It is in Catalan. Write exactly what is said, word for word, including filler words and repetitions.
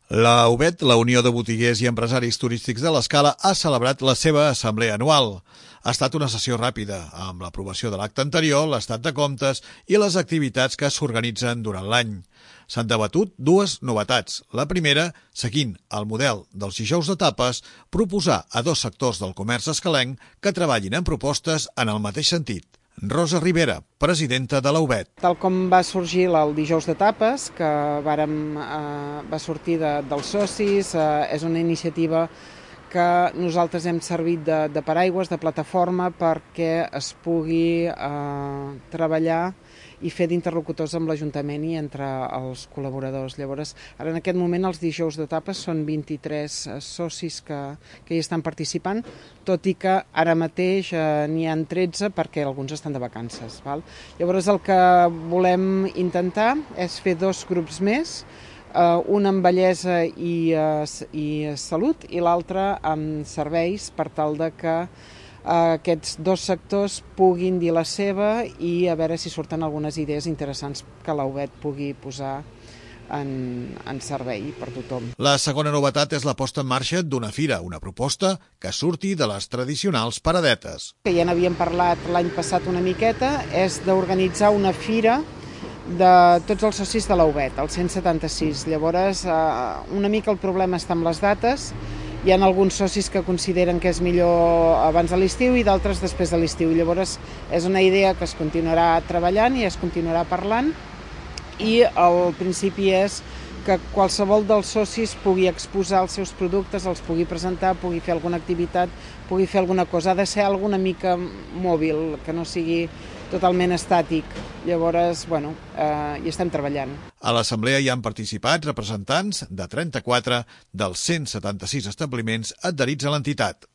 La U B E T, la Unió de Botiguers i Empresaris Turístics de l'Escala, ha celebrat la seva assemblea anual. Ha estat una sessió ràpida, amb l'aprovació de l'acte anterior, l'estat de comptes i les activitats que s'organitzen durant l'any. S'han debatut dues novetats. La primera, seguint el model dels dijous de tapes, proposar a dos sectors del comerç escalenc que treballin en propostes en el mateix sentit. Rosa Rivera, presidenta de la U B E T. Tal com va sorgir el dijous de tapes, que vàrem, eh, va sortir de, dels socis, eh, és una iniciativa que nosaltres hem servit de, de paraigües, de plataforma, perquè es pugui eh, treballar i fer d'interlocutors amb l'Ajuntament i entre els col·laboradors. Llavors, ara en aquest moment els dijous de tapes són vint-i-tres socis que, que hi estan participant, tot i que ara mateix eh, n'hi ha tretze perquè alguns estan de vacances. Val? Llavors el que volem intentar és fer dos grups més, Uh, un amb bellesa i, uh, i salut i l'altre amb serveis, per tal de que uh, aquests dos sectors puguin dir la seva i a veure si surten algunes idees interessants que la U B E T pugui posar en, en servei per tothom. La segona novetat és la posta en marxa d'una fira, una proposta que surti de les tradicionals paradetes. Que ja n'havíem parlat l'any passat una miqueta, és d'organitzar una fira de tots els socis de la U B E T, el cent setanta-sis. Llavors, eh, una mica el problema està amb les dates. Hi ha alguns socis que consideren que és millor abans de l'estiu i d'altres després de l'estiu. Llavors, és una idea que es continuarà treballant i es continuarà parlant, i el principi és que qualsevol dels socis pugui exposar els seus productes, els pugui presentar, pugui fer alguna activitat, pugui fer alguna cosa. Ha de ser alguna mica mòbil, que no sigui totalment estàtic. Llavors, bueno, eh, hi estem treballant. A l'assemblea hi han participat representants de trenta-quatre dels cent setanta-sis establiments adherits a l'entitat.